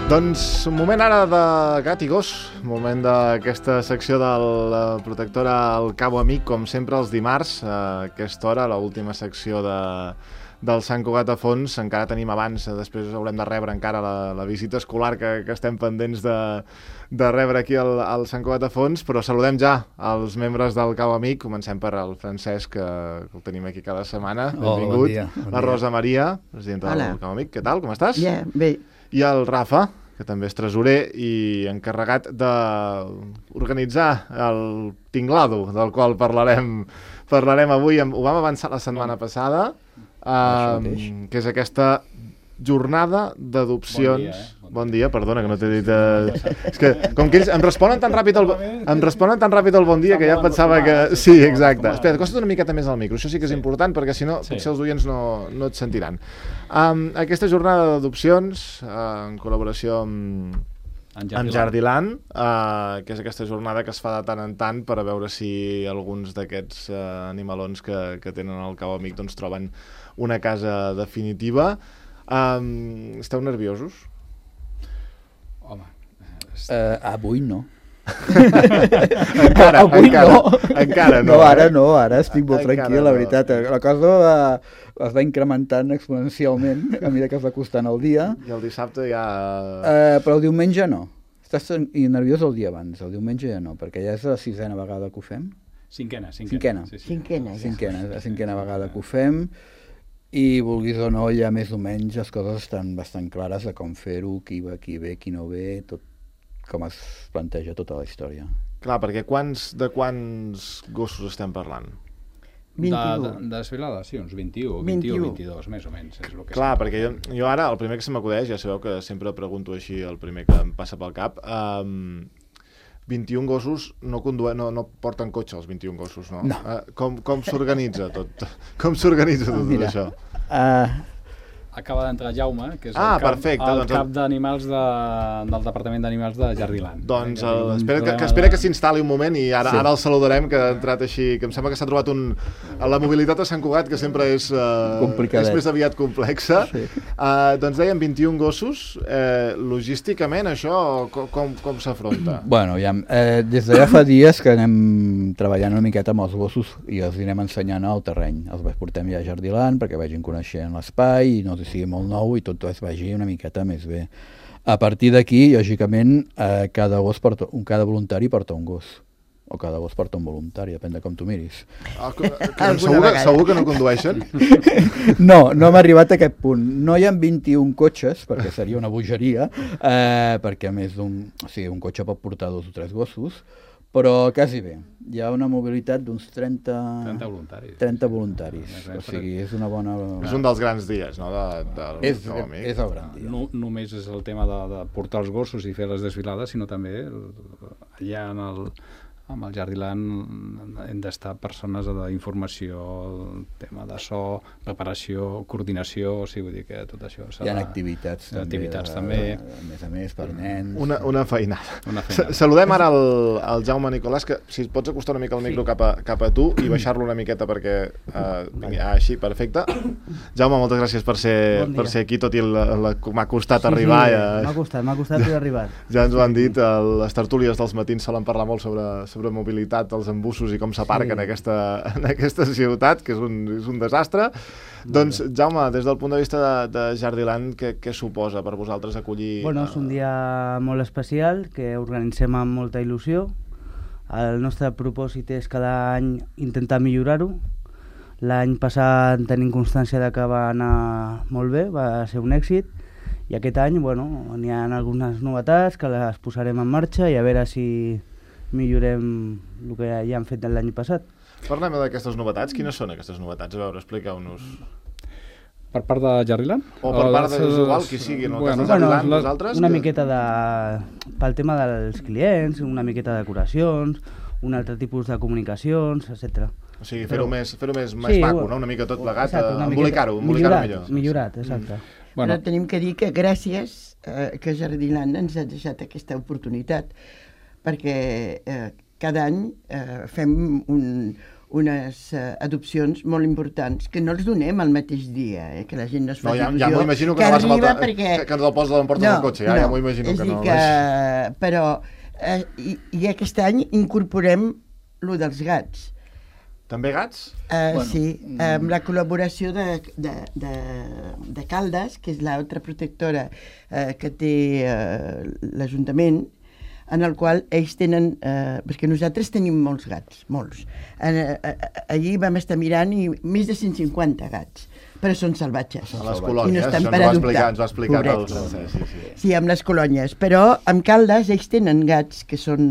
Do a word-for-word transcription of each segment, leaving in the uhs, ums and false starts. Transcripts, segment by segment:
Doncs un moment ara de gat i gos, un moment d'aquesta secció de la protectora El Cabo Amic, com sempre els dimarts, a aquesta hora, l'última secció de, del Sant Cugat a Fons. Encara tenim abans, després haurem de rebre encara la, la visita escolar que, que estem pendents de, de rebre aquí al, al Sant Cugat a Fons, però saludem ja els membres del Cabo Amic. Comencem per el Francesc, que, que el tenim aquí cada setmana. Benvingut. Oh, bon dia, bon la Rosa Maria, presidenta Hola. del Cabo Amic. Què tal, com estàs? Ja, yeah, bé. I el Rafa, que també és tresorer i encarregat d'organitzar el tinglado, del qual parlarem, parlarem avui. Ho vam avançar la setmana passada, eh, que és aquesta jornada d'adopcions... Bon dia, eh? Bon, bon dia, perdona, que no t'he dit... Eh... És que, com que ells em responen tan ràpid el, em responen tan ràpid el bon dia que ja pensava que... Sí, exacte. Espera, acosta't una miqueta més al micro, això sí que és important, perquè si no, potser els oients no, no et sentiran. Um, aquesta jornada d'adopcions, uh, en col·laboració amb, amb Jardiland, uh, que és aquesta jornada que es fa de tant en tant per a veure si alguns d'aquests uh, animalons que, que tenen al Cabo Amic doncs, troben una casa definitiva. Um, esteu nerviosos? Home, uh, avui no. encara, avui encara, no. encara no. No, ara no, ara estic molt Encara tranquil, no. la veritat. La cosa va, es va incrementant exponencialment a mesura que es va costant el dia. I el dissabte ja... Uh, però el diumenge no. Estàs nerviós el dia abans, el diumenge ja no, perquè ja és la sisena vegada que ho fem. Cinquena, cinquena. Cinquena. Sí, sí. Cinquena, ja. Cinquena, la cinquena vegada que ho fem. I vulguis o no, ja més o menys les coses estan bastant clares de com fer-ho, qui va, qui ve, qui no ve, tot com es planteja tota la història. Clar, perquè quants, de quants gossos estem parlant? vint-i-u. De, de desfilada, sí, uns vint-i-u, vint-i-u, vint-i-dos, més o menys. És el que Clar, perquè jo, jo ara, el primer que se m'acudeix, ja sabeu que sempre pregunto així, el primer que em passa pel cap, um, vint-i-un gossos no, conduï, no, no porten cotxe, els vint-i-un gossos, no? No. Uh, com com s'organitza tot? Com s'organitza tot Mira, això? Uh, Acaba d'entrar Jaume, que és Ah, el cap, perfecte, el doncs- cap d'animals de, del Departament d'Animals de Jardiland. Doncs Que el, un espera, que, que, problema espera de- que s'instal·li un moment i ara, Sí. ara el saludarem, que ha entrat així, que em sembla que s'ha trobat un... La mobilitat a Sant Cugat, que sempre és, uh, Complicadet. és més aviat complexa. Sí. Uh, doncs dèiem vint-i-un gossos. Eh, logísticament, això com, com, com s'afronta? bueno, ja, eh, des de ja fa dies que anem treballant una miqueta amb els gossos i els anem ensenyant al terreny. Els portem ja a Jardiland perquè vagin coneixent l'espai i no sigui molt nou i tot es vagi una miqueta més bé. A partir d'aquí, lògicament, eh, cada gos porta, un, cada voluntari porta un gos. O cada gos porta un voluntari, depèn de com tu miris. Ah, que, que, Alguna segur, que, vegada. segur que no condueixen? No, no hem arribat a aquest punt. No hi ha vint-i-un cotxes, perquè seria una bogeria, eh, perquè a més d'un... O sigui, un cotxe pot portar dos o tres gossos, però quasi bé. Hi ha una mobilitat d'uns trenta... trenta voluntaris. trenta voluntaris. Més o menys, O sigui, és una bona... És un dels grans dies, no? De, del És, Cabo Amic. és el gran dia. No, només és el tema de, de portar els gossos i fer les desfilades, sinó també el, allà en el, amb el Jardiland hem d'estar persones d'informació, tema de so, preparació, coordinació, o sigui, vull dir que tot això... Hi ha activitats, també, activitats de- també. A més a més, per nens. Una, una feinada. Una Sa- feinada. Saludem ara el, el Jaume Nicolàs, que si et pots acostar una mica el micro Sí. cap, a, cap a tu i baixar-lo una miqueta perquè... Uh, vingui, ah, així, perfecte. Jaume, moltes gràcies per ser, Bon dia. per ser aquí, tot i la, la, m'ha costat arribar. Sí, Ja, m'ha costat, m'ha costat haver arribat. ja ens ho han dit, el, les tertúlies dels matins solen parlar molt sobre, sobre mobilitat, els embussos i com s'aparquen Sí. en, aquesta, en aquesta ciutat, que és un, és un desastre. Doncs, Jaume, des del punt de vista de, de Jardiland, què, què suposa per vosaltres acollir... Bueno, és un dia molt especial que organitzem amb molta il·lusió. El nostre propòsit és cada any intentar millorar-ho. L'any passat tenim constància de que va anar molt bé, va ser un èxit, i aquest any, bueno, n'hi ha algunes novetats que les posarem en marxa i a veure si millorem el que ja hem fet l'any passat. Parlem d'aquestes novetats. Quines són aquestes novetats? A veure, expliqueu-nos. Per part de Jardiland? O per part de, és igual qui sigui, en el cas de Jardiland, les- vosaltres... una que- miqueta de... pel tema dels clients, una miqueta de decoracions, un altre tipus de comunicacions, etcètera. O sigui, fer-ho Però- més, fer més, Sí, més maco, bueno, no? Una mica tot plegat, Exacte, eh, una miqueta- embolicar-ho, embolicar-ho millorat, millor. Millorat, exacte. Bueno, Però tenim que dir que gràcies eh, que Jardiland ens ha deixat aquesta oportunitat, perquè eh, cada any eh, fem un, unes uh, adopcions molt importants, que no els donem el mateix dia, eh? Que la gent no es fa no, ja, il·lusió. Ja m'ho imagino que, que no vas arriba faltar, perquè... que, que ens el poses a l'emporta no, del cotxe, ja, no, ja m'ho imagino que no. És a dir que, però, eh, i, i aquest any incorporem lo dels gats. També gats? Uh, Bueno, sí, amb la col·laboració de, de, de, de Caldes, que és l'altra protectora uh, que té uh, l'Ajuntament, en el qual ells tenen, eh, perquè nosaltres tenim molts gats, molts. En, eh, allí vam estar mirant i més de cent cinquanta gats, però són salvatges. A les I colònies, no estan això per ens ho va adoptar. explicar, ens ho ha explicat el Correcte. Francesc. Sí, sí. Sí, amb les colònies, però amb Caldes ells tenen gats que són...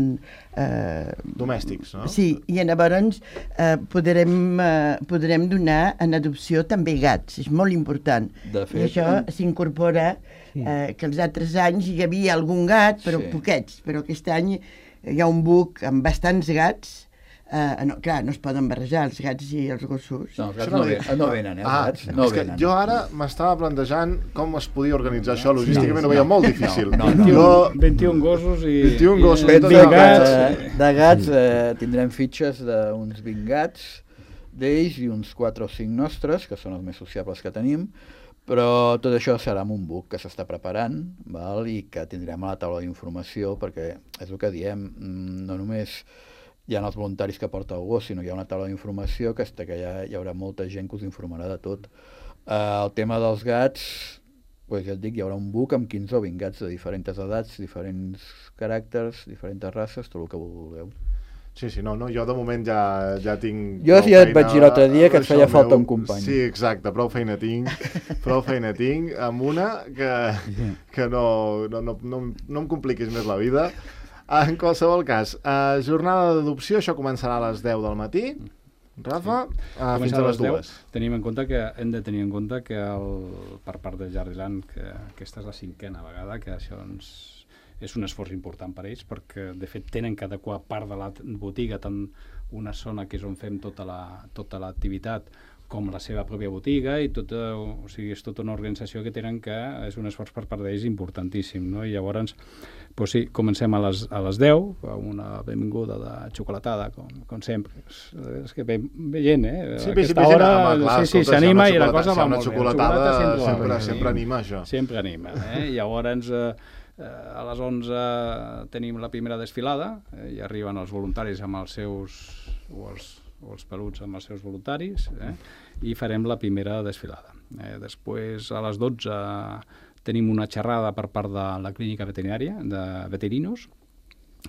Eh, Domèstics, no? Sí, i llavors eh, podrem, eh, podrem donar en adopció també gats, és molt important. De fet, I això s'incorpora, eh, que els altres anys hi havia algun gat, però Sí. poquets, però aquest any hi ha un buc amb bastants gats. Uh, no, clar, no es poden barrejar els gats i els gossos. No, els Això gats no no, li- ve, no venen, eh, els Ah, gats no és que venen. jo ara m'estava plantejant com es podia organitzar això, logísticament No, ho veia no, molt difícil. no, no, no. vint i un, Jo- vint i un gossos i... vint i un gossos, i, tot Fet de de gats. gats, eh, de gats eh, tindrem fitxes d'uns vint gats d'ells i uns quatre o cinc nostres, que són els més sociables que tenim, però tot això serà amb un book que s'està preparant, val? I que tindrem a la taula d'informació, perquè és el que diem, mm, no només hi ha els voluntaris que porta el gos, sinó que hi ha una taula d'informació que, està, que hi, ha, hi haurà molta gent que us informarà de tot. Uh, el tema dels gats, pues ja et dic, hi haurà un book amb quinze o vint gats de diferents edats, diferents caràcters, diferents races, tot el que vulgueu. Sí, sí, no, no, jo de moment ja, ja tinc... Jo prou ja et feina vaig dir l'altre dia que et això feia falta meu. un company. Sí, exacte, prou feina tinc, prou feina tinc, amb una que, que no, no, no, no, no em compliquis més la vida. En qualsevol cas, eh, jornada d'adopció, això començarà a les deu del matí, Rafa, eh, fins a les dues. Tenim en compte que hem de tenir en compte que el, per part de Jardiland, que aquesta és la cinquena vegada, que això ens, és un esforç important per ells, perquè de fet tenen que adequar part de la botiga, tant una zona que és on fem tota la, tota l'activitat, com la seva pròpia botiga, i tota, o sigui, és tota una organització que tenen que és un esforç per part d'ells importantíssim, no? I llavors, pues sí, comencem a les, a les deu, amb una benvinguda de xocolatada, com, com sempre. És, és que ve, ve gent, eh? Sí, A ve, aquesta ve gent, hora, home, clar, sí, sí, escolta, si hi ha s'anima una i la xocolata- cosa si hi ha va una molt bé. La xocolatada xocolata sempre, va sempre, bé, sempre sí. anima, això. Sempre anima, eh? I llavors eh, a les onze tenim la primera desfilada, eh? I arriben els voluntaris amb els seus, o els, o els peluts amb els seus voluntaris, eh? I farem la primera desfilada. Eh? Després, a les dotze, tenim una xerrada per part de la clínica veterinària, de veterinos,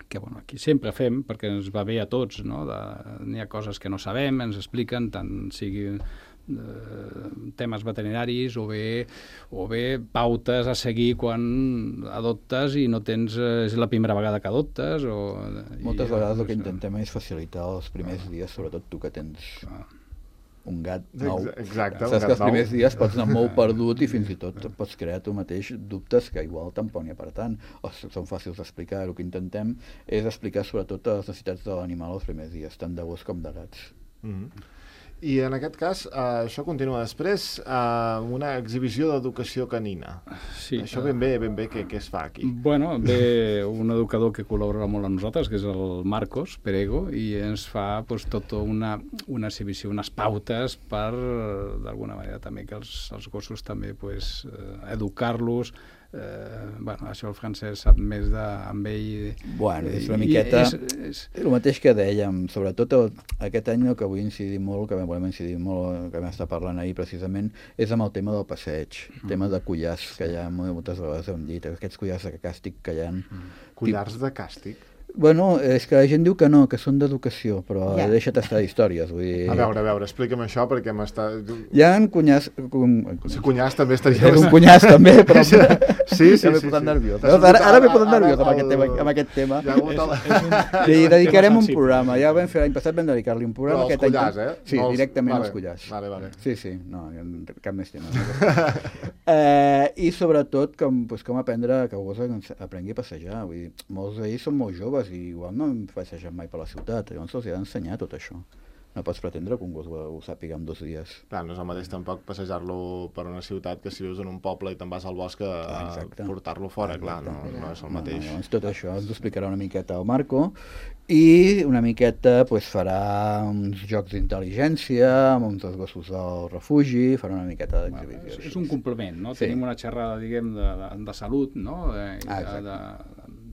que bueno, aquí sempre fem, perquè ens va bé a tots, no? De, n'hi ha coses que no sabem, ens expliquen, tant sigui eh, temes veterinaris o bé, o bé pautes a seguir quan adoptes i no tens, eh, és la primera vegada que adoptes. O, Moltes i, vegades el que això. intentem és facilitar els primers dies, sobretot tu que tens Clar. un gat nou. Ex- Exacte, un Saps gat que els nou. primers dies pots anar molt perdut i fins i tot pots crear tu mateix dubtes que igual tampoc n'hi ha per tant, o s- són fàcils d'explicar. El que intentem és explicar sobretot les necessitats de l'animal els primers dies, tant de gos com de gats. Mhm. I en aquest cas, eh, això continua després eh, amb una exhibició d'educació canina. Sí, Això eh, ben bé, ben bé, què, què es fa aquí? Bueno, ve un educador que col·labora molt amb nosaltres, que és el Marcos Perego, i ens fa pues, tota una, una exhibició, unes pautes per, d'alguna manera, també que els, els gossos també pues, eh, educar-los. Eh, bueno, això el Francesc sap més de, amb ell. Bueno, és una I miqueta... És, és, El mateix que dèiem, sobretot el, aquest any el que vull incidir molt, que volem incidir molt, que vam estar parlant ahir precisament, és amb el tema del passeig, el tema de collars, que ja moltes vegades hem dit, aquests collars de càstig que hi ha. Collars de càstig? Bueno, és que la gent diu que no, que són d'educació, però Ja. ja. deixa't estar d'històries. Vull dir... A veure, a veure, explica'm això perquè m'està... Hi ha cunyars... Com... Si cunyàs també estaria... És un cunyàs també, però... Sí, sí, ja m'he sí, posat sí. nerviós. T'ha Veus? Ara, ara m'he posat sortit nerviós amb, ara aquest el- tema, amb aquest tema. Hi ha hagut el... Li dedicarem un sensible. programa. Ja ho vam fer l'any passat, vam dedicar-li un programa. Però els aquest any- collars, eh? Sí, No els- directament vale, els collars. vale, vale. Sí, sí, no, cap més tema. eh, I sobretot com, pues, com aprendre que el gos aprengui a passejar. Vull dir, molts d'ells són molt joves i igual no han passejat mai per la ciutat, llavors els hi ha d'ensenyar tot això. no pots pretendre que un gos ho, ho sàpiga en dos dies. Clar, no és el mateix tampoc passejar-lo per una ciutat que si vius en un poble i te'n vas al bosc a Exacte. portar-lo fora, clar, no, no és el mateix. No, no, doncs tot això ens ho explicarà una miqueta el Marco i una miqueta pues, farà uns jocs d'intel·ligència amb uns dels gossos del refugi, farà una miqueta d'exhibició. Bueno, és un complement, no? Sí. Tenim una xerrada, diguem, de, de, de salut, no? De, Ah, de, de,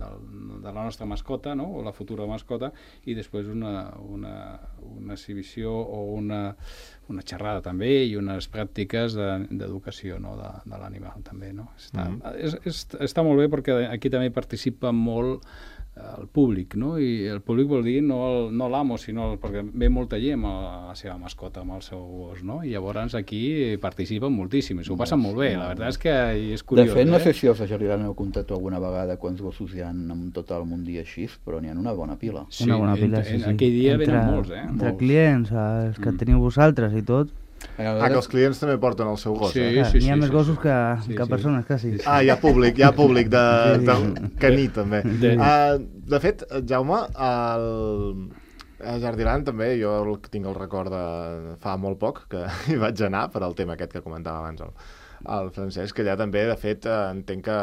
de, de la nostra mascota, no? O la futura mascota, i després una, una, una exhibició o una, una xerrada també i unes pràctiques d'educació de, no? de, de l'animal també, no? Està, mm -hmm. és, és, està molt bé perquè aquí també participa molt el públic, no? I el públic vol dir no, el, no l'amo, sinó el, perquè ve molta gent amb la seva mascota, amb el seu gos, no? I llavors aquí participen moltíssim, i s'ho passen molt bé, la veritat és que és curiós. De fet, no eh? sé si els de Jardilana heu comptat alguna vegada quants gossos hi ha en tot el món dia així, però n'hi ha una bona pila. Sí, Una bona pila, en, sí, en sí. aquell dia entre, venen molts, eh? Entre molts. clients, els que Mm. teniu vosaltres i tot. Ah, que els clients també porten el seu gos, Sí, eh? Clar, sí, n'hi ha sí, més sí, gossos sí. que, Sí, que sí. persones, quasi. Ah, hi ha públic, hi ha públic de, Sí, de sí. caní, també. De- Uh, de fet, Jaume, el, a Jardiland també, jo el, tinc el record de fa molt poc, que hi vaig anar per al tema aquest que comentava abans el, el Francesc, que allà també, de fet, eh, entenc que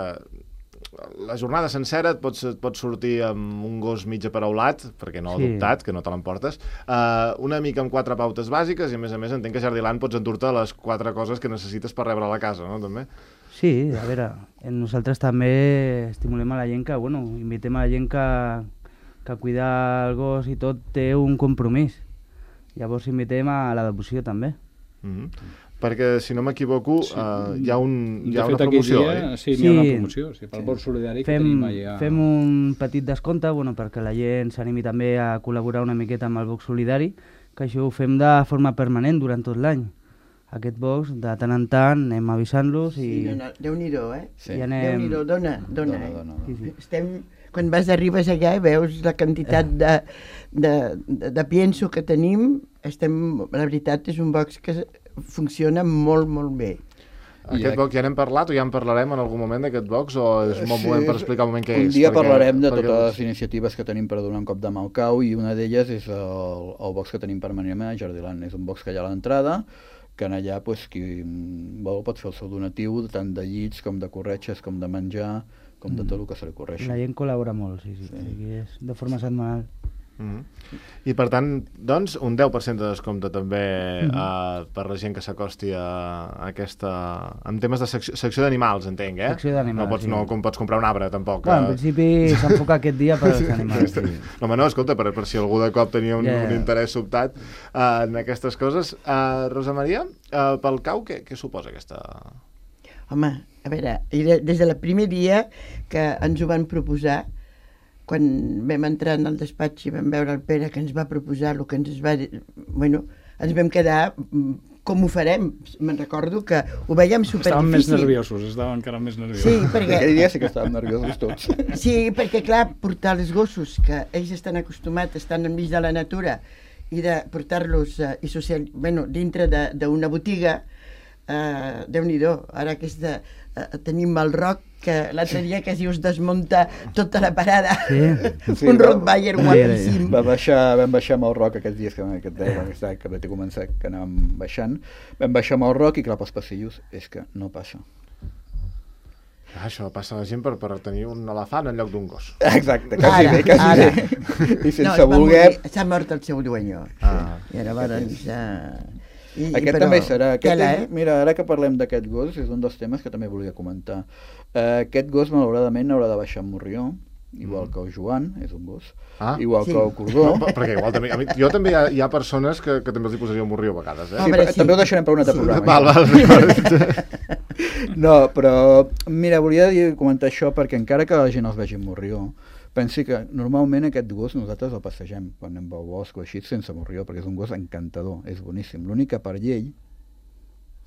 la jornada sencera et pots, et pots sortir amb un gos mig aparaulat, perquè no Sí. adoptat, que no te l'emportes, uh, una mica amb quatre pautes bàsiques, i a més a més entenc que a Jardiland pots endur-te les quatre coses que necessites per rebre a la casa, no? També. Sí, a veure, nosaltres també estimulem a la gent que, bueno, invitem a la gent que, que cuidar el gos i tot té un compromís. Llavors invitem a la devoció també. Mm -hmm. Perquè, si no m'equivoco, Sí. uh, hi ha, un, hi De ha fet, una aquell promoció, dia, oi? sí, n'hi ha una Sí. promoció, sí, pel Sí. Bord Solidari que Fem, tenim allà. fem un petit descompte, bueno, perquè la gent s'animi també a col·laborar una miqueta amb el box solidari, que això ho fem de forma permanent durant tot l'any. Aquest box, de tant en tant, anem avisant-los i... Sí, dona, Déu-n'hi-do, eh? Sí. i anem... Déu-n'hi-do, dona, dona, Dona, eh? dona, Sí, sí. Estem, quan vas arribes allà i veus la quantitat de, de, de, de pienso que tenim, estem, la veritat és un box que funciona molt, molt bé. Aquest box ja n'hem parlat o ja en parlarem en algun moment d'aquest box o és un bon Sí, moment per explicar un moment què un és? Un dia perquè, parlarem de perquè... totes les iniciatives que tenim per donar un cop de mà al cau i una d'elles és el, el box que tenim permanentment a Jardiland. És un box que hi ha a l'entrada, que en allà pues, qui vol pot fer el seu donatiu tant de llits com de corretges com de menjar com de tot el que se li correixi. La gent col·labora molt, sí, sí. Sí. sí. És de forma setmanal. Mm -hmm. I per tant, doncs, un deu per cent de descompte també mm -hmm. uh, per la gent que s'acosti a, a aquesta... en temes de secció, secció d'animals, entenc, eh? Secció d'animals, no pots, sí. no com pots comprar un arbre, tampoc. Bueno, en eh? principi s'enfoca aquest dia per als animals. Sí. No, home, no, escolta, per, per si algú de cop tenia un, Ja, ja. un interès sobtat uh, en aquestes coses. Uh, Rosa Maria, uh, pel cau, què, què suposa aquesta... Home, a veure, era des del primer dia que ens ho van proposar, quan vam entrar en el despatx i vam veure el Pere que ens va proposar el que ens va... Bueno, ens vam quedar... Com ho farem? Me'n recordo que ho veiem superdifícil. Estaven més nerviosos, estaven encara més nerviosos. Sí, perquè... Aquell dia sí que estàvem nerviosos tots. Sí, perquè clar, portar els gossos, que ells estan acostumats, estan enmig de la natura, i de portar-los uh, i social... bueno, dintre d'una botiga, uh, Déu-n'hi-do, ara que és de... Uh, tenim el Roc, que l'altre dia quasi us desmunta tota la parada. Sí. Sí, Un va- Rottweiler guapíssim. Va baixar, vam baixar amb el Roc aquests dies que, aquest dia, aquest any que vaig començar, que anàvem baixant. Vam baixar amb el Roc i clar, pels passillos és que no passa. Ah, això passa a la gent per, per tenir un elefant en lloc d'un gos. Exacte, quasi Ara, bé, quasi ara. bé. I No, sense es va voler... morir, s'ha mort el seu dueño. Ah. I llavors... Uh, i, Aquest però, també serà. Aquest tela, és, mira, ara que parlem d'aquest gos, és un dels temes que també volia comentar. Uh, aquest gos, malauradament, haurà de baixar amb Morrió, igual Mm. que el Joan, és un gos, Ah. igual Sí. que el Cordó. No, perquè igual també... A mi, jo també hi ha, hi ha persones que, que també els hi posaria un morrió a vegades, eh? Ah, Sí, Home, però, sí. també ho deixarem per un altre programa. Val, això. val, val. No, però, mira, volia dir, comentar això perquè encara que la gent els vegi amb Morrió, pensi que normalment aquest gos nosaltres el passegem quan anem al bosc o així sense Morrió, perquè és un gos encantador, és boníssim. L'únic que per llei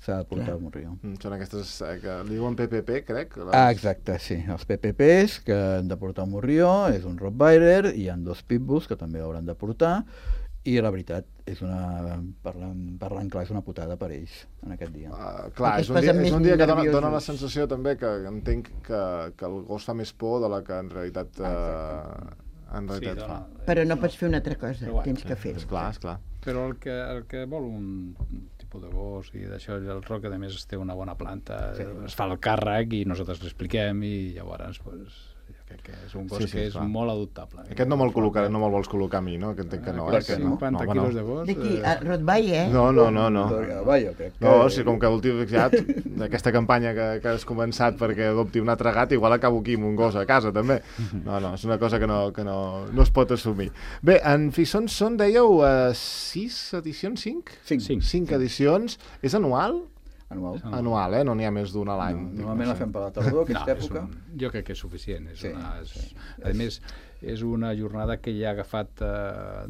s'ha de portar Clar. el Morrió. Mm, Són aquestes eh, que li diuen P P P, crec. Les... Ah, exacte, sí. Els P P Ps que han de portar un Morrió, és un Rottweiler, i hi ha dos pitbulls que també l'hauran de portar, i la veritat, és una, parlant, parlant clar, és una putada per ells en aquest dia. Uh, clar, Perquè és es un, dia, posen és més un dia que dona, nerviosos. dona la sensació també que entenc que, que el gos fa més por de la que en realitat uh, en realitat sí, fa. dona, Però no pots fer una altra cosa, Però bueno, tens que fer-ho. Esclar, esclar. Però el que, el que vol un tipus de gos i d'això, el Roc, a més, té una bona planta, sí. Es fa el càrrec i nosaltres l'expliquem i llavors, pues, jo crec que és un gos Sí, sí, que és clar. molt adoptable. Aquest no me'l col·locar, no me'l vols col·locar a mi, no? Que entenc que no, eh? Aquests Que no. cinquanta No, home, quilos no. de gos... D'aquí, eh, a Rottweiler, eh? No, no, no, no. Va, jo crec que... No, o sigui, com que l'últim ja, d'aquesta campanya que, que has començat perquè adopti un altre gat, igual acabo aquí amb un gos a casa, també. No, no, és una cosa que no, que no, no es pot assumir. Bé, en Fissons són, dèieu, uh, sis edicions, cinc? Cinc. Cinc. Cinc edicions. És anual? Anual. Ah. Anual, eh? No n'hi ha més d'un a l'any. No, normalment la fem per la tardor, aquesta és època. un, jo crec que és suficient. És Sí, una, és, sí. A més, és una jornada que ja ha agafat... Eh,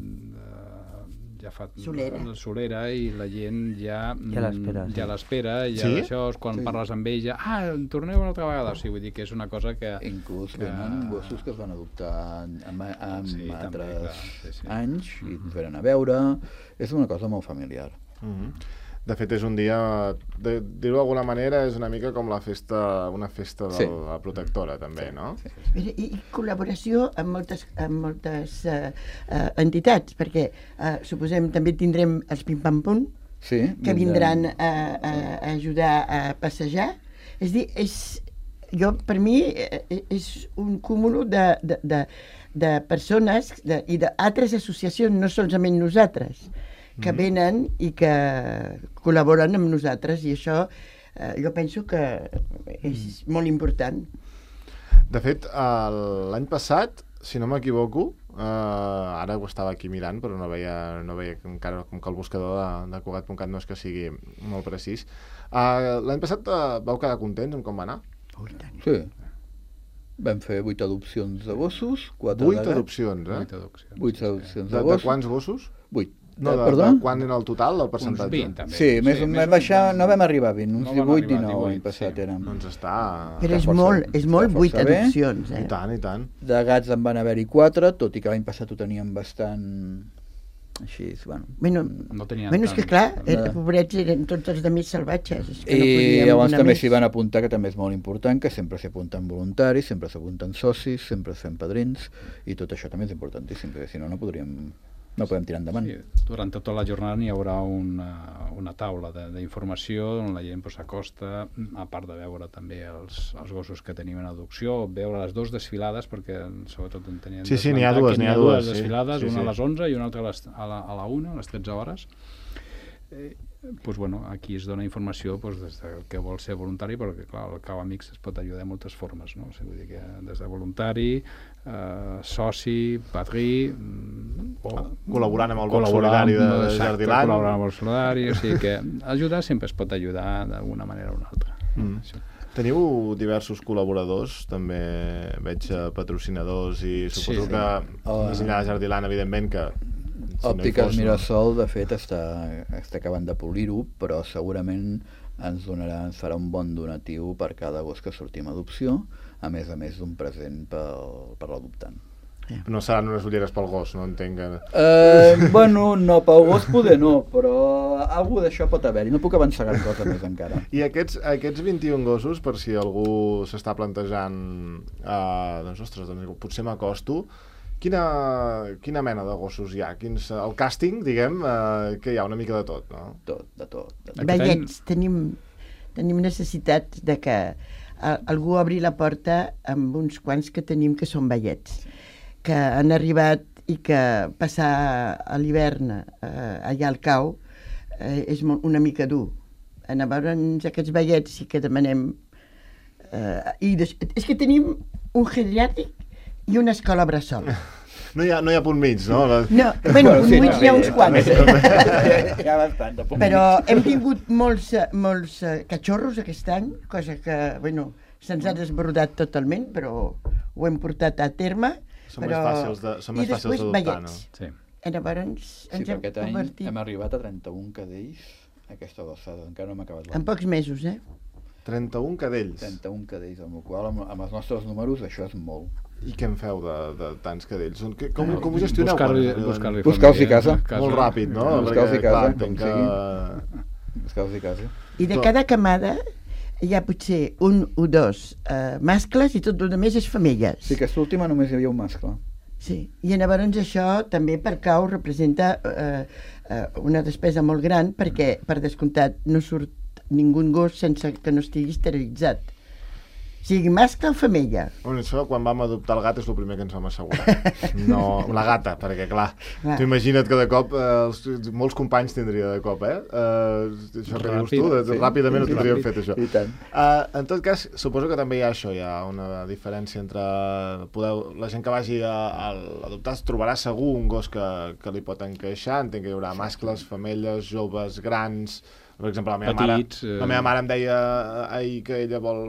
ja fa Solera. la solera i la gent ja Ja l'espera, sí. ja l'espera, ja Sí? això, quan Sí. parles amb ell ja, ah, torneu una altra vegada, o sigui, vull dir que és una cosa que... Inclús que- venen gossos que es van adoptar en, en, en Sí, també, altres clar, sí, sí. anys i ens venen a veure. És una cosa molt familiar. Mhm. De fet, és un dia, de dir-ho d'alguna manera, és una mica com la festa, una festa de Sí. la protectora, també, no? Sí. Mira, i, i col·laboració amb moltes, amb moltes uh, uh, entitats, perquè uh, suposem també tindrem els Pim Pam Pum, Sí, que vindran a, a, a ajudar a passejar. És a dir, és, jo, per mi eh, és un cúmul de, de, de, de persones de, i d'altres associacions, no solament nosaltres, que venen i que col·laboren amb nosaltres, i això eh, jo penso que és molt important. De fet, el- l'any passat, si no m'equivoco, eh, ara ho estava aquí mirant, però no veia, no veia encara, com que el buscador de, de Cugat punt cat no és que sigui molt precís. Eh, l'any passat eh, vau quedar contents amb com va anar? Oh, i tant. Sí. Vam fer vuit adopcions de gossos, quatre Vuit de gats. adopcions, eh? Vuit adopcions. Vuit sí, sí. adopcions De, de de gossos. quants gossos? Vuit. No, Eh, de, perdó? de quan era el total, el Uns percentatge? vint, també. Sí, més o menys baixar, no vam arribar a vint, uns No vam divuit, arribar a dinou l'any divuit, passat sí. érem. Doncs està... Però és força molt, bé, és molt està vuit força bé. adopcions, eh? I tant, i tant. De gats en van haver-hi quatre, tot i que l'any passat ho teníem bastant... Així, bueno... Bueno, No tenien bueno, és que tant. clar, Eh. eh, pobrets eren tots els de més salvatges. És que no I podíem llavors donar també més. s'hi van apuntar, que també és molt important, que sempre s'hi apunten voluntaris, sempre s'apunten socis, sempre es fem padrins, i tot això també és importantíssim, perquè si no, no podríem... no podem tirar endavant. Sí, durant tota la jornada hi haurà una, una taula de- d'informació on la gent pues, s'acosta, a part de veure també els, els gossos que tenim en adopció, veure les dues desfilades, perquè sobretot en tenien Sí, sí, n'hi ha dues, n'hi ha dues, sí. desfilades, Sí, una sí. a les onze i una altra a, les, a, la, a la una, a les tretze hores. Eh, pues, bueno, aquí es dona informació pues, des de que vol ser voluntari, perquè clar, el Cau Amics es pot ajudar de moltes formes, no? O sigui, vull dir que des de voluntari, eh, soci, padrí, mm, o Col·laborant amb el Bloc col·laborar Solidari de amb- exacte, Jardiland. col·laborar amb el solidari, o sigui que ajudar sempre es pot ajudar d'alguna manera o una altra. Mm. Això. Teniu diversos col·laboradors, també veig eh, patrocinadors i suposo Sí, sí. que Oh, més enllà de Jardiland, evidentment que si no hi Òptiques fos, no? Mirasol, de fet, està, està acabant de polir-ho, però segurament ens donarà, ens farà un bon donatiu per cada gos que sortim a adopció, a més a més d'un present pel, per l'adoptant. No seran unes ulleres pel gos, no entenc que... Eh, bueno, no, pel gos poder no, però alguna d'això pot haver-hi. No puc avançar gran cosa més encara. I aquests, aquests vint-i-un gossos, per si algú s'està plantejant, eh, doncs, ostres, doncs, potser m'acosto, quina, quina mena de gossos hi ha? Quins, el càsting, diguem, eh, que hi ha una mica de tot, no? Tot, de tot. De tot. Aquest Veiets, tenim, tenim necessitat de que a, algú obri la porta amb uns quants que tenim que són veiets, que han arribat i que passar a l'hivern eh, allà al cau eh, és molt, una mica dur. Llavors aquests veiets sí que demanem... Eh, i des, és que tenim un geriàtric i una escola bressol. No hi ha, no hi ha punt mig, no? La... No, bueno, sí, bueno hi ha uns quants. Hi ha bastant de Però hem tingut molts, eh, molts eh, cachorros aquest any, cosa que, bueno, se'ns ha desbordat totalment, però ho hem portat a terme. Són però... més fàcils de- són més I fàcils després d'adoptar, veiets. Sí. Llavors Sí, ens per hem aquest any convertit hem arribat a trenta-un cadells a aquesta alçada, encara no hem acabat en l'any. pocs mesos, eh? trenta-un cadells. trenta-un cadells, amb el qual, amb, amb els nostres números, això és molt. I què en feu de, de tants cadells? Són- que- Com, com ho gestioneu? Buscar-li quan- buscar Buscar-los i casa. Molt ràpid, no? Buscar-los i Perquè, casa, clar, com entenc que... Buscar-los i casa. I de Tot. cada camada hi ha potser un o dos eh, mascles i tot el més és femelles. Sí, que aquesta última només hi havia un mascle. Sí, i llavors això també per cau representa eh, eh, una despesa molt gran perquè, per descomptat, no surt ningú gos sense que no estigui esterilitzat. Sigui mascle o femella. Bueno, això, quan vam adoptar el gat, és el primer que ens vam assegurar. No, la gata, perquè, clar, clar. Tu imagina't que de cop, eh, els, molts companys tindria de cop, eh? eh això que dius tu, de, sí. Ràpidament ho tindríem fet, això. I tant. Uh, en tot cas, suposo que també hi ha això, hi ha una diferència entre... Podeu, la gent que vagi a, a adoptar es trobarà segur un gos que, que li pot encaixar, entenc que hi haurà mascles, femelles, joves, grans... Per exemple, la meva, Petits, mare, la meva mare em deia ahir que ella vol...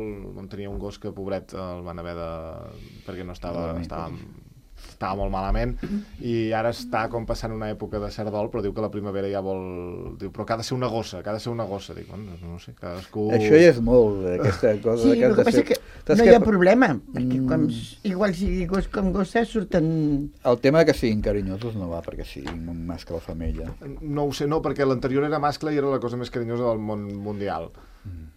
tenia un gos que, pobret, el van haver de... perquè no estava... estava, estava molt malament, i ara està com passant una època de cerdol, però diu que la primavera ja vol... Diu, però que ha de ser una gossa, que ha de ser una gossa. Dic, bueno, no sé, cadascú... Això ja és molt, aquesta cosa... Sí, que el que passa ser... que no hi ha problema, perquè com, igual sigui gos com gossa surten... El tema que siguin carinyosos no va perquè siguin un mascle o femella. No ho sé, no, perquè l'anterior era mascle i era la cosa més carinyosa del món mundial.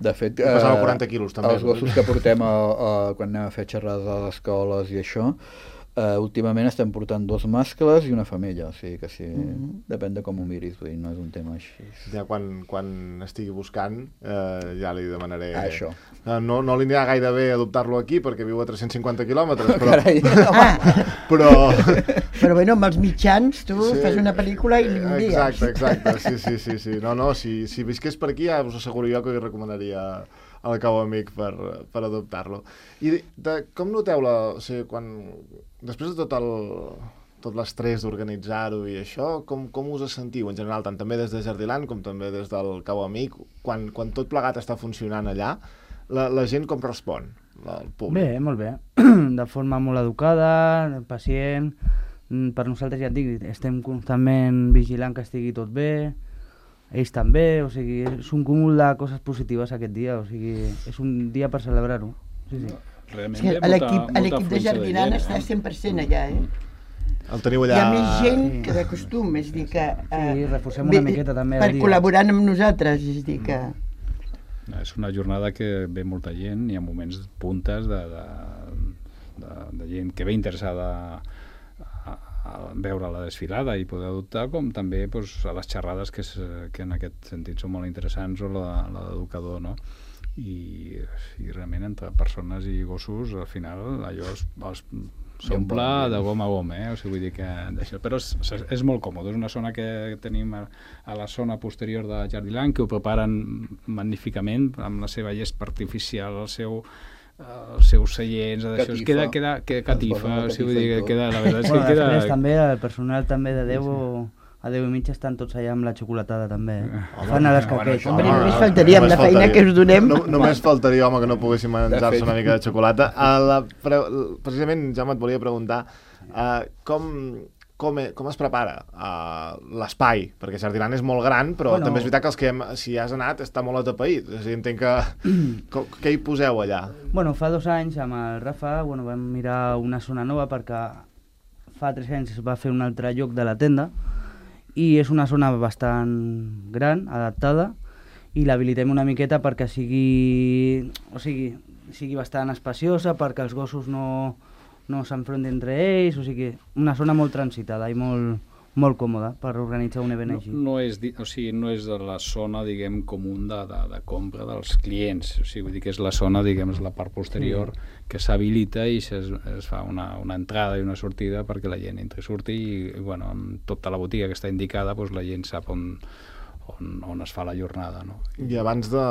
De fet, pesava quaranta quilos, també. Els gossos que portem a, a, quan anem a fer xerrades a les escoles i això, Uh, últimament estem portant dos mascles i una femella, o sigui que sí, mm-hmm. depèn de com ho miris, vull dir, no és un tema així. Ja quan, quan estigui buscant eh, ja li demanaré... Ah, això. No, no li anirà gaire bé adoptar-lo aquí perquè viu a tres-cents cinquanta quilòmetres, però... Carai, ah. però... però bueno, amb els mitjans tu sí. fas una pel·lícula i l'envies. Exacte, exacte, sí, sí, sí, sí. No, no, si, si visqués per aquí ja us asseguro jo que li recomanaria al Cau Amic per, per adoptar-lo. I de, com noteu la... O sigui, quan... Després de tot el tot l'estrès d'organitzar-ho i això, com, com us sentiu en general, tant també des de Jardiland com també des del Cau Amic, quan, quan tot plegat està funcionant allà, la, la gent com respon, el públic? Bé, molt bé. De forma molt educada, pacient. Per nosaltres, ja et dic, estem constantment vigilant que estigui tot bé, ells també, o sigui, és un cúmul de coses positives aquest dia, o sigui, és un dia per celebrar-ho. Sí, sí. Realment, sí, l'equip de Jardiland està cent per cent allà, eh? El teniu allà... Hi ha més gent que de costum, és dir que... Eh, sí, reforcem una miqueta també. Per col·laborant amb nosaltres, és dir que... No, és una jornada que ve molta gent, hi ha moments puntes de, de, de, de gent que ve interessada a, a veure la desfilada i poder adoptar, com també pues, a les xerrades que, és, que en aquest sentit són molt interessants, o la, la d'educador, no? I, i realment entre persones i gossos al final allò es, es s'omple de gom a gom, eh? O sigui, vull dir que d'això, però és, és molt còmode, és una zona que tenim a, a la zona posterior de Jardiland, que ho preparen magníficament amb la seva gespa artificial, el seu els seus seients, d'això, queda, queda, queda catifa, o sigui, vull dir que queda, la veritat és que bueno, queda... Després també el personal també de deu a deu i mitja estan tots allà amb la xocolatada també, eh? Home, fan a les caquetes. Home, només faltaria amb la feina que us donem. No, només faltaria, home, que no poguéssim menjar-se una mica de xocolata. A la, precisament, Jaume, et volia preguntar uh, com, com, com es prepara uh, l'espai? Perquè Jardiland és molt gran, però bueno, també és veritat que els que hem, si has anat està molt atapeït. És a dir, entenc que... com, què hi poseu allà? Bueno, fa dos anys amb el Rafa bueno, vam mirar una zona nova perquè fa tres anys es va fer un altre lloc de la tenda i és una zona bastant gran, adaptada, i l'habilitem una miqueta perquè sigui, o sigui, sigui bastant espaciosa, perquè els gossos no, no s'enfrontin entre ells, o sigui, una zona molt transitada i molt, molt còmoda per organitzar un event no, així. No és, o sigui, no és de la zona, diguem, comú de, de, de compra dels clients, o sigui, vull dir que és la zona, diguem, és la part posterior sí. que s'habilita i es, es fa una, una entrada i una sortida perquè la gent entri i surti i, i bueno, amb tota la botiga que està indicada, doncs la gent sap on, on, on es fa la jornada, no? I abans de,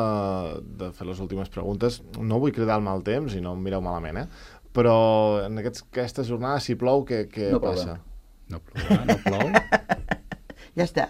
de fer les últimes preguntes, no vull cridar el mal temps i no em mireu malament, eh? Però en aquests, aquestes jornades, si plou, què, què no passa? No plou, no plou. Ja està.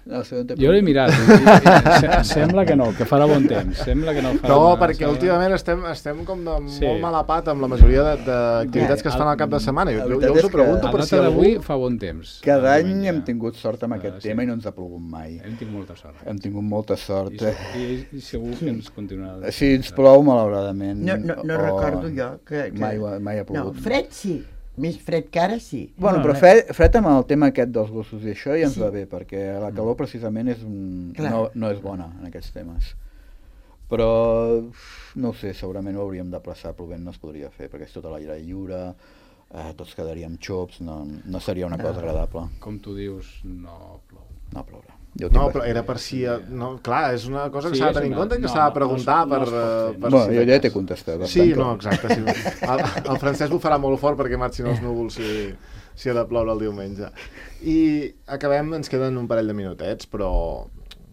No, jo l'he mirat i, i, sembla que no, que farà bon temps, sembla que no farà no, una, perquè sembla... últimament estem, estem com de sí. molt mala pat amb la majoria d'activitats que es fan al cap de setmana. Jo, jo us ho pregunto per si algú... fa bon temps. Cada any hem tingut sort amb aquest sí. tema i no ens ha plogut mai. Hem tingut molta sort. Hem tingut molta sort. I, i, i segur que ens continuarà. Si ens plou, malauradament. No, no, no o... recordo jo que... que... Mai, mai ha plogut. No, fred sí. Més fred que ara, sí. Bueno, però fred, fred amb el tema aquest dels gossos i això ja ens sí. va bé, perquè la calor precisament és un... no, no és bona en aquests temes. Però, no ho sé, segurament ho hauríem de plaçar, plovent no es podria fer, perquè és tota l'aire lliure, eh, tots quedaríem xops, no, no seria una cosa agradable. Com tu dius, no plou. No plourà. No, però era per si... No, clar, és una cosa que Sí, s'ha de és tenir en una- compte i que no, s'ha de no, preguntar no per... es pot fer. per Bueno, si jo de ja cas. t'he contestat. per Sí, tant que- no, exacte. Sí. El, el Francesc ho farà molt fort perquè marxin els núvols si, si ha de ploure el diumenge. I acabem, ens queden un parell de minutets, però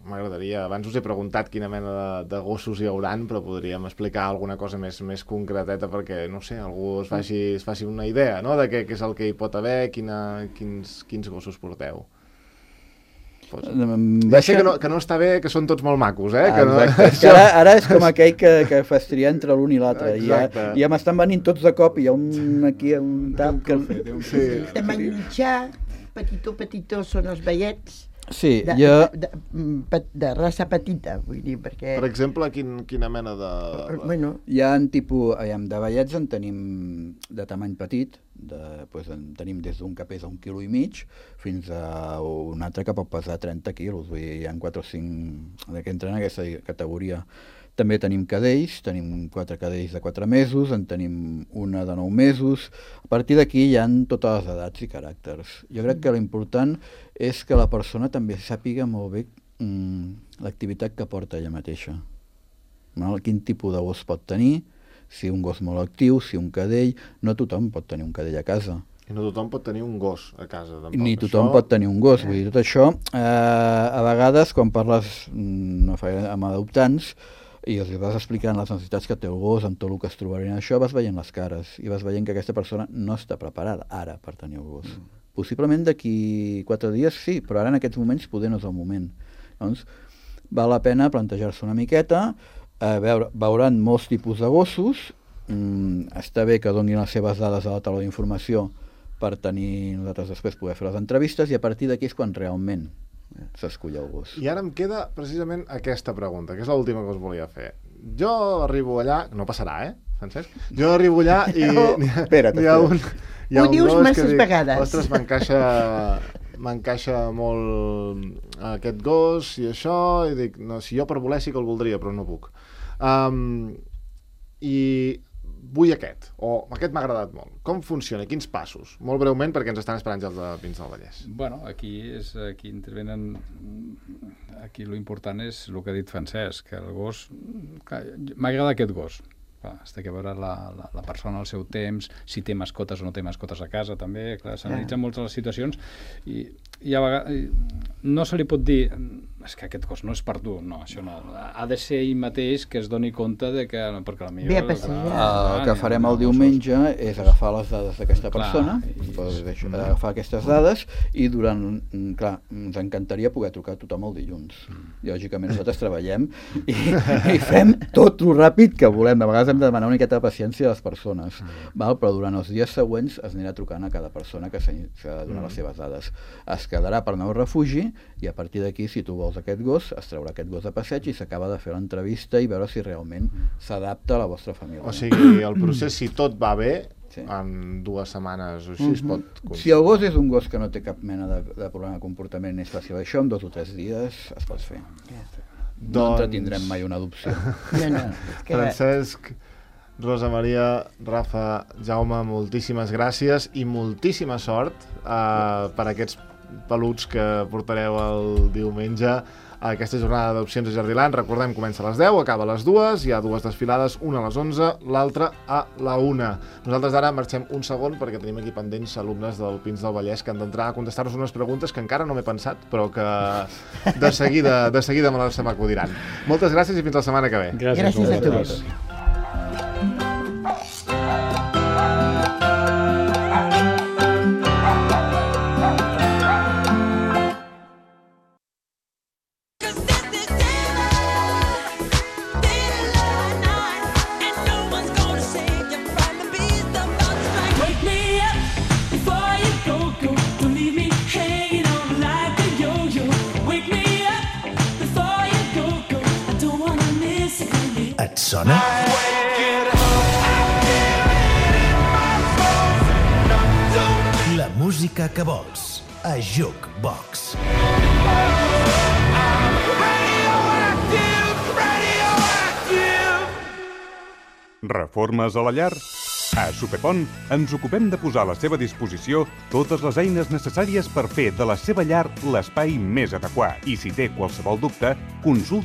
m'agradaria... Abans us he preguntat quina mena de, de gossos hi hauran, però podríem explicar alguna cosa més, més concreteta perquè, no sé, algú es faci, es faci una idea, no?, de què, què és el que hi pot haver, quina, quins, quins gossos porteu. Pues, ja sé que no, que no està bé, que són tots molt macos, eh? Que no... Exacte. És que ara, ara és com aquell que, que fas triar entre l'un i l'altre. I ja, ja m'estan venint tots de cop i hi ha un aquí, un tap... Que... Sí. De mitjà, petitó, petitó, són els veiets. Sí, de, jo... de, de, de raça petita, vull dir, perquè... Per exemple, quin, quina mena de... Bueno, Hi ha un tipus, aviam, de vellets en tenim de tamany petit, de, pues, en tenim des d'un que pesa un quilo i mig fins a un altre que pot pesar trenta quilos, vull dir, hi ha quatre o cinc que entren en aquesta categoria. També tenim cadells, tenim quatre cadells de quatre mesos, en tenim una de nou mesos. A partir d'aquí hi ha totes les edats i caràcters. Jo crec que l'important és que la persona també sàpiga molt bé mm, l'activitat que porta ella mateixa. No? Quin tipus de gos pot tenir, si un gos molt actiu, si un cadell... No tothom pot tenir un cadell a casa. I no tothom pot tenir un gos a casa, tampoc. Ni tothom això... pot tenir un gos. Vull dir, tot això, eh, a vegades, quan parles mm, no fa, amb adoptants, i els vas explicant les necessitats que té el gos, amb tot el que es trobarien això, vas veient les cares i vas veient que aquesta persona no està preparada ara per tenir el gos. Mm. Possiblement d'aquí quatre dies sí, però ara en aquests moments poder no és el moment. Doncs val la pena plantejar-se una miqueta, eh, veure, veuran molts tipus de gossos, mm, està bé que donin les seves dades a la taula d'informació per tenir nosaltres després poder fer les entrevistes i a partir d'aquí és quan realment s'escull el gos. I ara em queda precisament aquesta pregunta, que és l'última que us volia fer. Jo arribo allà... No passarà, eh, Francesc? Jo arribo allà i... No. Espera't, hi ha un, hi ha Ho un dius gos que masses dic, vegades. ostres, m'encaixa m'encaixa molt aquest gos i això, i dic, no, si jo per voler sí que el voldria, però no puc. Um, I vull aquest, o aquest m'ha agradat molt. Com funciona? Quins passos? Molt breument, perquè ens estan esperant ja els de Pins del Vallès. Bueno, aquí és aquí intervenen... Aquí l'important és el que ha dit Francesc, que el gos... M'agrada aquest gos. Es té que veure la, la, la persona al seu temps, si té mascotes o no té mascotes a casa, també. S'analitzen moltes les situacions i, i a vegades no se li pot dir és que aquest gos no és per tu, no, això no. Ha de ser ell mateix que es doni compte de que... Perquè la Ve a passejar. El que farem el diumenge és agafar les dades d'aquesta persona, i- pues, això, agafar aquestes dades i durant... Clar, ens encantaria poder trucar a tothom el dilluns. Lògicament nosaltres treballem i, i fem tot el ràpid que volem. De vegades hem de demanar una miqueta de paciència a les persones, val? Però durant els dies següents es anirà trucant a cada persona que s'ha de donar les seves dades. Es quedarà per nou refugi i a partir d'aquí, si tu vols aquest gos, es traurà aquest gos de passeig i s'acaba de fer l'entrevista i veure si realment s'adapta a la vostra família. O sigui, el procés, si tot va bé, Sí. en dues setmanes o així es pot... Si el gos és un gos que no té cap mena de, de problema de comportament, és fàcil això, en dos o tres dies es pot fer. No Doncs- entretindrem mai una adopció. no, no. és Que... Francesc, Rosa Maria, Rafa, Jaume, moltíssimes gràcies i moltíssima sort eh, per aquests peluts que portareu el diumenge a aquesta jornada d'adopcions a Jardiland. Recordem, comença a les deu, acaba a les dues, hi ha dues desfilades, una a les onze, l'altra a la una. Nosaltres ara marxem un segon perquè tenim aquí pendents alumnes del Pins del Vallès que han d'entrar a contestar-nos unes preguntes que encara no m'he pensat, però que de seguida, de seguida me les se m'acudiran. Moltes gràcies i fins la setmana que ve. Gràcies a tu. vosaltres. Wake me up before you go, go. Don't leave me hanging on like a yo-yo. Wake me up before you go, go. I don't wanna miss it. Et sona? La música que vols a Jukebox. Reformes a la llar? A Superpont ens ocupem de posar a la seva disposició totes les eines necessàries per fer de la seva llar l'espai més adequat. I si té qualsevol dubte, consulti